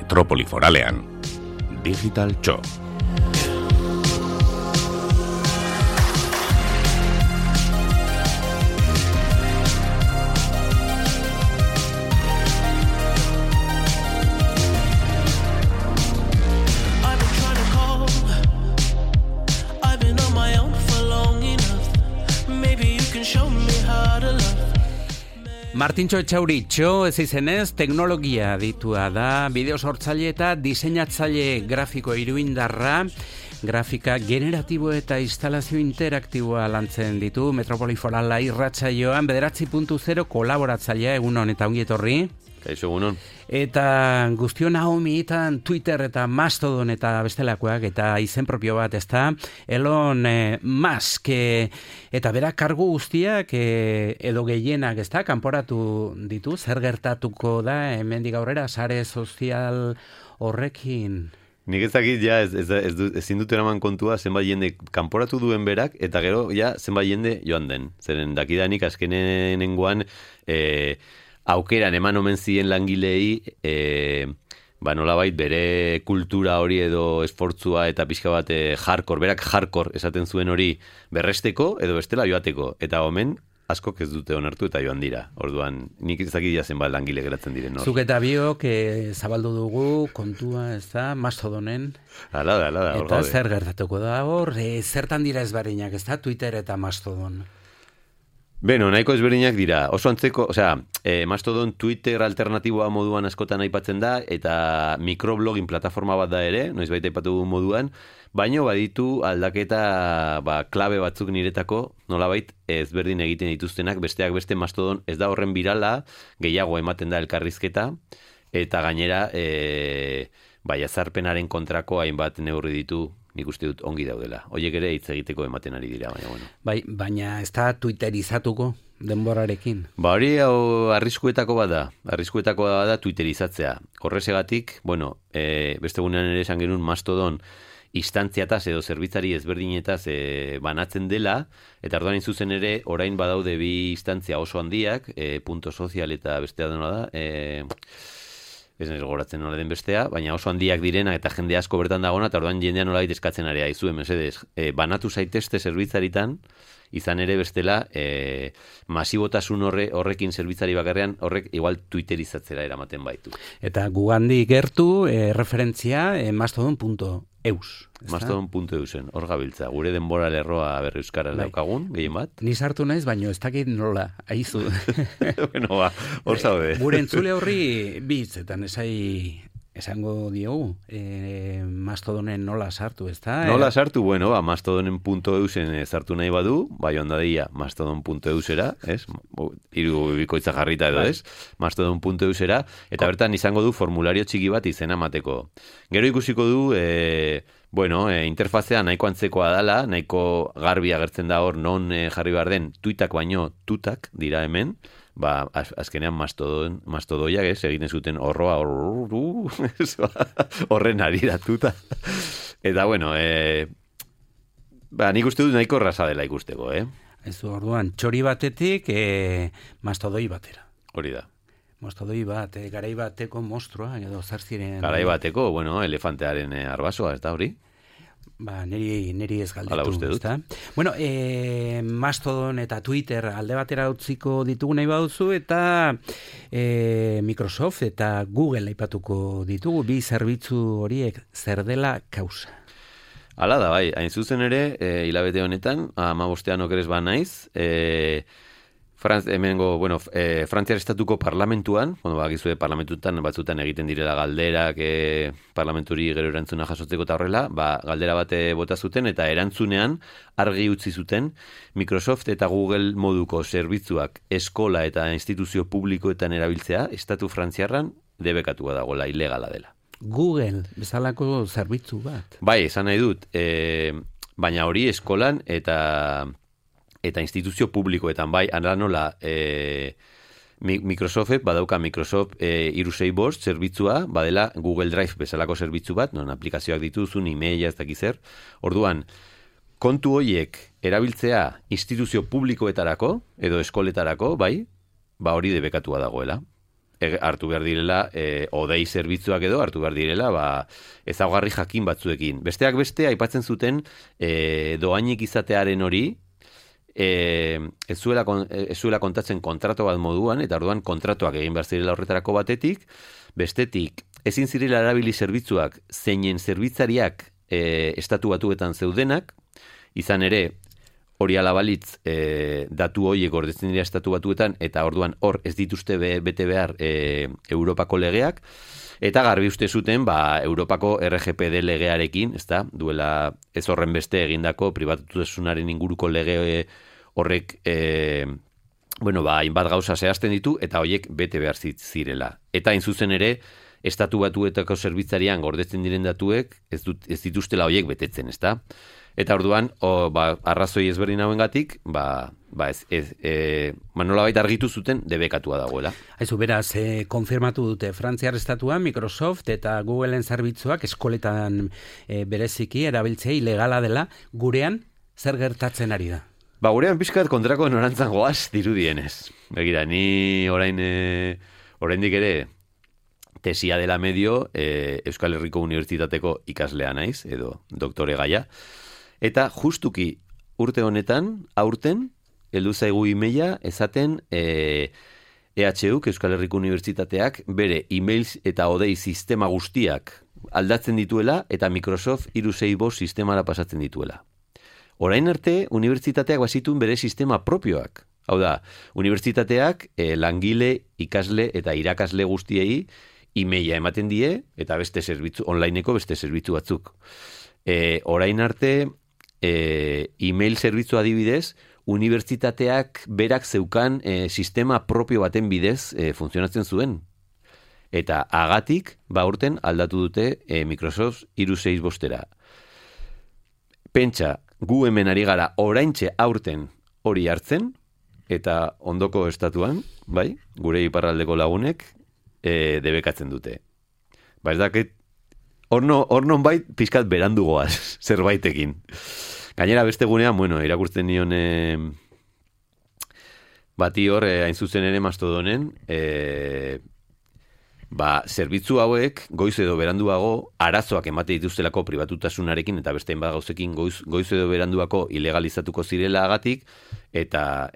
Metropoli Foralean. Digital Txo. Martintxo Etxauritxo, ez izenez, teknologia ditua da, bideo sortzaile eta diseinatzaile grafiko iruindarra, grafika generatibo eta instalazio interaktiboa lantzen ditu, Metropoli Forala irratsaioan, 9.0 kolaboratzailea egun honetan ongi etorri. Kaixo egunon. Eta guztion ahomietan Twitter eta Mastodon eta bestelakoak eta izen propio bat, ezta? Elon Musk eta berak kargu guztiak edo gehienak, ezta? Kanporatu ditu, zer gertatuko da hemendik aurrera sare sozial horrekin? Nik ez dakit, ja, ezin dut eraman kontua zenbait jende kanporatu duen berak, eta gero, ja, zenbait jende joan den. Zeren dakidanik azkenenengoan, aukeran eman omen ziren langilei, nolabait bere kultura hori edo esfortzua eta pixka bat berak hardcore esaten zuen hori berresteko edo bestela joateko. Eta omen, askok ez dute onartu eta joan dira. Orduan, nik ez dakit jazen bat langile geratzen diren. Zuk eta biok zabaldu dugu kontua, ez da, Mastodonen. Hala da. Eta zer gertatuko da hor, zertan dira ezberdinak, ez da, Twitter eta Mastodon. Beno, nahiko ezberdinak dira. Oso antzeko, Mastodon Twitter alternatiboa moduan askotan aipatzen da, eta mikroblogging plataforma bat da ere, noizbait aipatu moduan, baino baditu aldaketa klabe batzuk niretako, nolabait ezberdin egiten dituztenak, besteak beste Mastodon ez da horren birala, gehiago ematen da elkarrizketa, eta gainera, jazarpenaren kontrako hainbat neurri ditu, nik uste dut ongi daudela. Hoiek ere hitz egiteko ematen ari dira, baina bueno. Baina ez da twitterizatuko denborarekin? Hori arriskuetako bada. Arriskuetako bada twitterizatzea. Horrezegatik, beste gunean ere esan genuen Mastodon instantziataz edo zerbitzari ezberdinetaz banatzen dela, eta orduan zuzen ere, orain badaude bi instantzia oso handiak, punto sozial eta bestea dena da, ez nire goratzen nola den bestea, baina oso handiak direna eta jende asko bertan dagona, eta orduan jendean nola eskatzen ari aizue, mesedez, banatu zaitezte zerbitzaritan, izan ere bestela, masibotasun horrekin zerbitzari bakarrean, horrek igual twitterizatzera eramaten baitu. Eta gugandik gertu, referentzia, mastodon.eus. Mastodon.eusen, hor gabiltza. Gure denbora lerroa berri euskara daukagun, gehien bat. Ni sartu naiz, baino ez dakit nola, aizu. Hor zaude. Gure entzule horri bitzetan esango diogu, Mastodonen nola sartu, ez da? Nola sartu, Mastodonen.eusen sartu nahi badu, bai ondadia Mastodon.eusera, ez? Hiru bikoitza jarrita edo, ez? Mastodon.eusera, eta bertan izango du formulario txiki bat izena mateko. Gero ikusiko du, interfazea nahiko antzekoa dala, nahiko garbi agertzen da hor non jarri behar den tuitak baino tutak dira hemen, azkenean mastodoiak egiten zuten horroa horren ariratuta. Eta nik uste dut nahiko erraza dela ikusteko, Ez du orduan, txori batetik mastodoi batera. Hori da. Mastodoi bat, garai bateko monstrua, edo zartziren... Garai bateko, elefantearen arbasoa, ez da hori? Neri ez galdetu, ezta? Mastodon eta Twitter alde batera utziko ditugu nahi baduzu, eta Microsoft eta Google aipatuko ditugu, bi zerbitzu horiek zer dela kausa. Hala da, bai, hain zuzen ere, hilabete honetan, 15 okerez naiz, Frantziar estatuko parlamentuan, bakizue parlamentutan batzutan egiten direla galderak, parlamenturi gero erantzuna jasotzeko eta horrela, galdera bate bota zuten eta erantzunean argi utzi zuten Microsoft eta Google moduko zerbitzuak eskola eta instituzio publikoetan erabiltzea, estatu frantziarran debekatua dagoela, ilegala dela. Google, bezalako zerbitzu bat. Bai, esan nahi dut, baina hori eskolan eta instituzio publikoetan, bai, anala nola Microsoft, badauka Microsoft 365 zerbitzua, badela Google Drive bezalako zerbitzu bat, non aplikazioak dituzun, e-maila ez dakizer. Orduan, kontu horiek erabiltzea instituzio publikoetarako, edo eskoletarako, bai, hori debekatua dagoela. hartu behar direla, odei zerbitzuak edo hartu behar direla, ezaugarri jakin batzuekin. Besteak beste, aipatzen zuten doainik izatearen hori, ez zuela kontatzen kontrato bat moduan, eta orduan kontratuak egin behar zirela horretarako batetik, bestetik, ezin zirela erabili zerbitzuak, zeinen zerbitzariak estatu batuetan zeudenak, izan ere, hori alabalitz datu horiek gordetzen dira estatu batuetan, eta orduan hor ez dituzte bete behar Europako legeak, eta garbi uste zuten Europako RGPD legearekin, duela ez horren beste egindako pribatutasunaren inguruko lege horrek hainbat gauza zehazten ditu, eta horiek bete behar zirela. Eta hain zuzen ere, estatu batuetako zerbitzarian gordetzen diren datuek ez dituztela horiek betetzen, ezta? Eta orduan, arrazoi ezberdin hauengatik, nolabait argitu zuten debekatua dagoela. Aizu, beraz, konfirmatu dute Frantziar estatuan, Microsoft eta Googleen zerbitzuak eskoletan bereziki erabiltzea ilegala dela, gurean zer gertatzen ari da? Gurean pixkat kontrako norantzan goaz dirudienez. Begira, ni oraindik ere tesia dela medio Euskal Herriko Unibertsitateko ikaslea naiz, edo doktore gaia. Eta justuki urte honetan, aurten, heldu zaigu emaila esaten EHUk, Euskal Herriko Unibertsitateak, bere emails eta odei sistema guztiak aldatzen dituela eta Microsoft 365 sistemara pasatzen dituela. Orain arte, unibertsitateak bazituen bere sistema propioak. Hau da, unibertsitateak langile, ikasle eta irakasle guztiei emaila ematen die eta beste zerbitzu, onlineko beste zerbitzu batzuk. Orain arte, email zerbitzu adibidez, unibertsitateak berak zeukan sistema propio baten bidez funtzionatzen zuen. Eta agatik, urten aldatu dute Microsoft 365-era. Pentsa, gu hemen ari gara oraintxe aurten hori hartzen, eta ondoko estatuan, gure iparraldeko lagunek debekatzen dute. Ez dakit, hor non pizkat berandu goaz, zerbaitekin. Gainera beste gunean, irakurtzen nion bati hor, hain zuzen ere Mastodonen, zerbitzu hauek, goiz edo beranduago, arazoak emate dituztelako pribatutasunarekin, eta beste hainbat gauzekin goiz edo beranduako ilegalizatuko zirela agatik, eta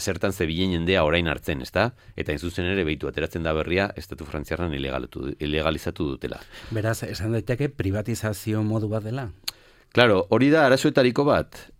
zertan zebilen jendea orain hartzen, ezta? Eta hain zuzen ere behitu ateratzen da berria, estatu frantziarran ilegalizatu dutela. Beraz, esan daiteke privatizazio modu bat dela? Claro, hori da arazoetariko bat.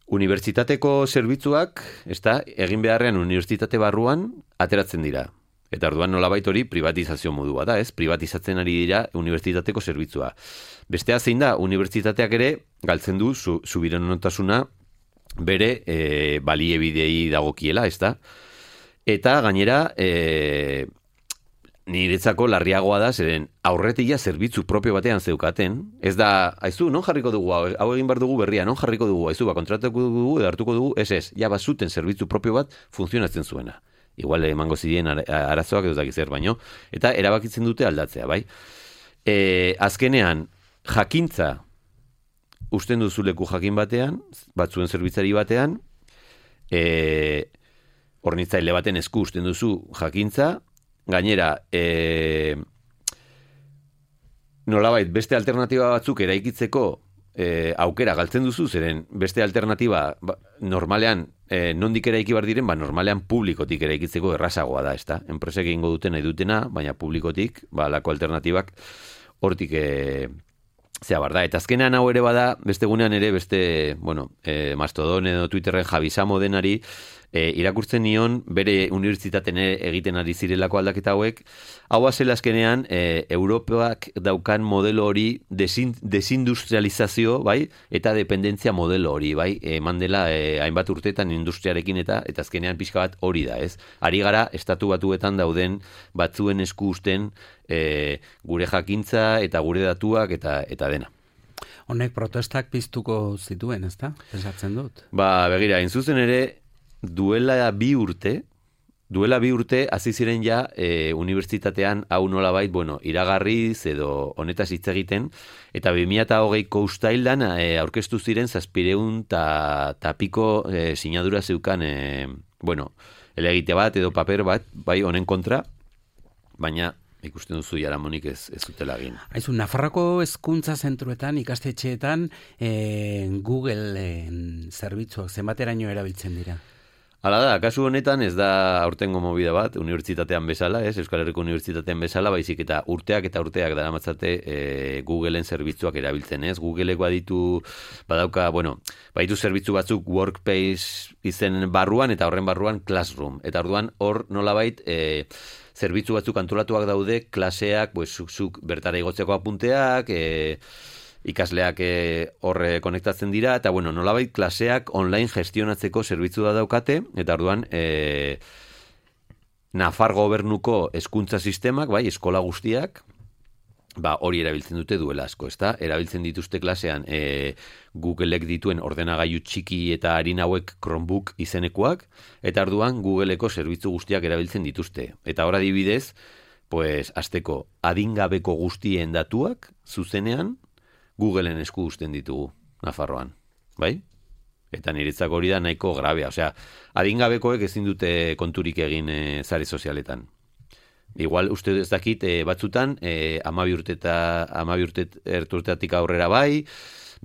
Unibertsitateko zerbitzuak, egin beharrean unibertsitate barruan ateratzen dira. Eta orduan nolabait hori privatizazio modua da, ez? Privatizatzen ari dira unibertsitateko zerbitzua. Bestea zein da, unibertsitateak ere galtzen du subiranotasuna bere baliebidei dagokiela, ez da? Eta gainera, niretzako larriagoa da, zeren aurretia zerbitzu propio batean zeukaten, ez da, aizu, non jarriko dugu, hau egin bar dugu berria, non jarriko dugu, aizu, kontratatuko dugu, edo hartuko dugu, bazuten zerbitzu propio bat funtzionatzen zuena. Igual emango zidien arazoak edo dakizer baino, eta erabakitzen dute aldatzea, bai? Azkenean, jakintza usten duzu leku jakin batean, batzuen zerbitzari batean, hornitzaile baten esku usten duzu jakintza, gainera, nolabait beste alternatiba batzuk eraikitzeko aukera galtzen duzu, zeren beste alternatiba normalean nondik eraiki bar diren, normalean publikotik eraikitzeko errazagoa da, ezta? Enpresek egingo duten nahi dutena, baina publikotik, lako alternatibak hortik zea bar da. Eta azkenean hau ere bada, beste gunean ere, Mastodon edo Twitterren Javisamo denari, irakurtzen nion bere unibertsitaten egiten ari zirelako aldaketa hauek, hau azela azkenean Europak daukan modelo hori desindustrializazio, eta dependentzia modelo hori, eman dela hainbat urteetan industriarekin eta azkenean pixka bat hori da, ez? Ari gara estatu batuetan dauden batzuen esku usten gure jakintza eta gure datuak eta dena. Honek protestak piztuko zituen, ezta? Pensatzen dut. Begira, zuzen ere, duela bi urte hasi ziren ja unibertsitatean hau nolabait, iragarriz edo honetaz hitz egiten, eta 2020ko uztailan aurkeztu ziren 700 eta piko sinadura zeukan helegite bat edo paper bat, bai, honen kontra, baina ikusten duzu jaramonik ez dutela egin. Aizu, Nafarroko hezkuntza zentruetan, ikastetxeetan, Google zerbitzuak zenbateraino erabiltzen dira? Hala da, kasu honetan ez da aurtengo movida bat, unibertsitatean bezala, Euskal Herriko unibertsitatean bezala, baizik eta urteak daramatzate Googleen zerbitzuak erabiltzen, Googleek baditu zerbitzu batzuk Workspace izen barruan, eta horren barruan Classroom. Eta orduan hor nolabait zerbitzu batzuk antolatuak daude, klaseak, zuk bertara igotzeko apunteak, ikasleak horre konektatzen dira, eta nolabait klaseak online gestionatzeko zerbitzu da daukate, eta orduan Nafar gobernuko hezkuntza sistemak, bai, eskola guztiak, hori erabiltzen dute duela asko, ezta? Erabiltzen dituzte klasean Googleek dituen ordenagailu txiki eta harin hauek Chromebook izenekoak, eta orduan Googleeko zerbitzu guztiak erabiltzen dituzte. Eta hor adibidez, hasteko adingabeko guztien datuak zuzenean Googleen esku uzten ditugu Nafarroan, bai? Eta niretzako hori da nahiko grabea, osea, adingabekoek ezin dute konturik egin sare sozialetan. Igual, uste ez dakit, batzutan, 12 urtetik aurrera bai,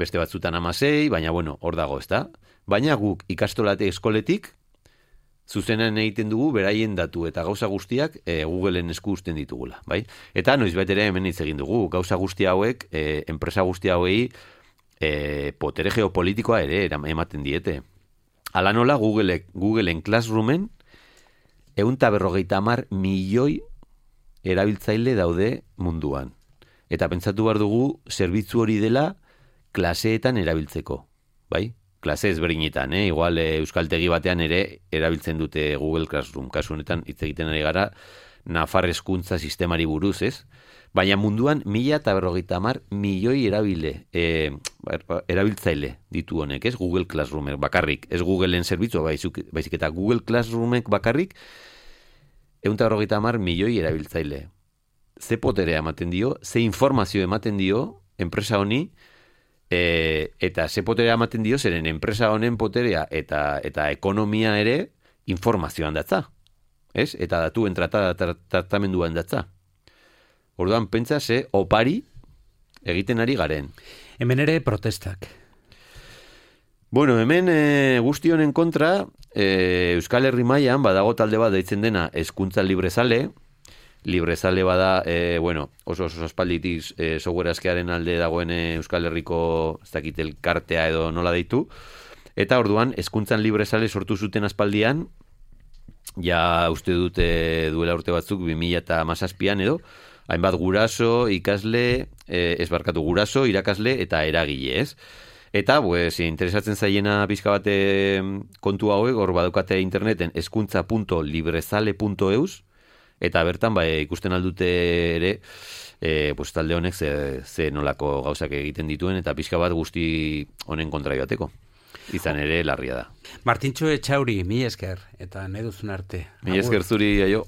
beste batzutan 16, baina, hor dago, ezta? Baina guk ikastolate eskoletik, zuzenean egiten dugu, beraien datu eta gauza guztiak Googleen esku uzten ditugula, bai? Eta noizbait ere hemen hitz egin dugu, gauza guzti hauek, enpresa guzti hauei, potere geopolitikoa ere ematen diete. Hala nola, Googleen Classroomen, 150 milioi erabiltzaile daude munduan. Eta pentsatu behar dugu, zerbitzu hori dela klaseetan erabiltzeko, bai? Klase ezberdinetan, igual euskaltegi batean ere erabiltzen dute Google Classroom. Kasu honetan hitz egiten ari gara Nafar hezkuntza sistemari buruz, ez? Baina munduan 150 milioi erabiltzaile ditu honek, ez? Google Classroomek bakarrik, ez Googleen zerbitzu, baizik eta Google Classroomek bakarrik 150 milioi erabiltzaile. Ze poterea ematen dio, ze informazio ematen dio enpresa honi, eta ze poterea ematen dio, zeren enpresa honen poterea eta ekonomia ere informazioan datza. Ez? Eta datuen tratamenduan datza. Orduan, pentsa ze opari egiten ari garen. Hemen ere protestak. Hemen guzti honen kontra, Euskal Herri mailan badago talde bat deitzen dena hezkuntza librezale. Librezale bada, oso aspalditik software askearen alde dagoen Euskal Herriko, ez dakit elkartea edo nola deitu. Eta orduan, hezkuntzan librezale sortu zuten aspaldian, ja uste dute duela urte batzuk 2017an edo, hainbat guraso, ikasle, guraso, irakasle eta eragile, ez? Eta, interesatzen zaiena pixka bate kontu hauek, hor badukate interneten hezkuntza.librezale.eus, eta bertan ikusten aldute ere, talde honek ze nolako gauzak egiten dituen, eta pixka bat guzti honen kontra joateko. Izan ere larria da. Martintxo Etxauri, mi esker, eta nahi duzun arte. Mi esker zuri, aio.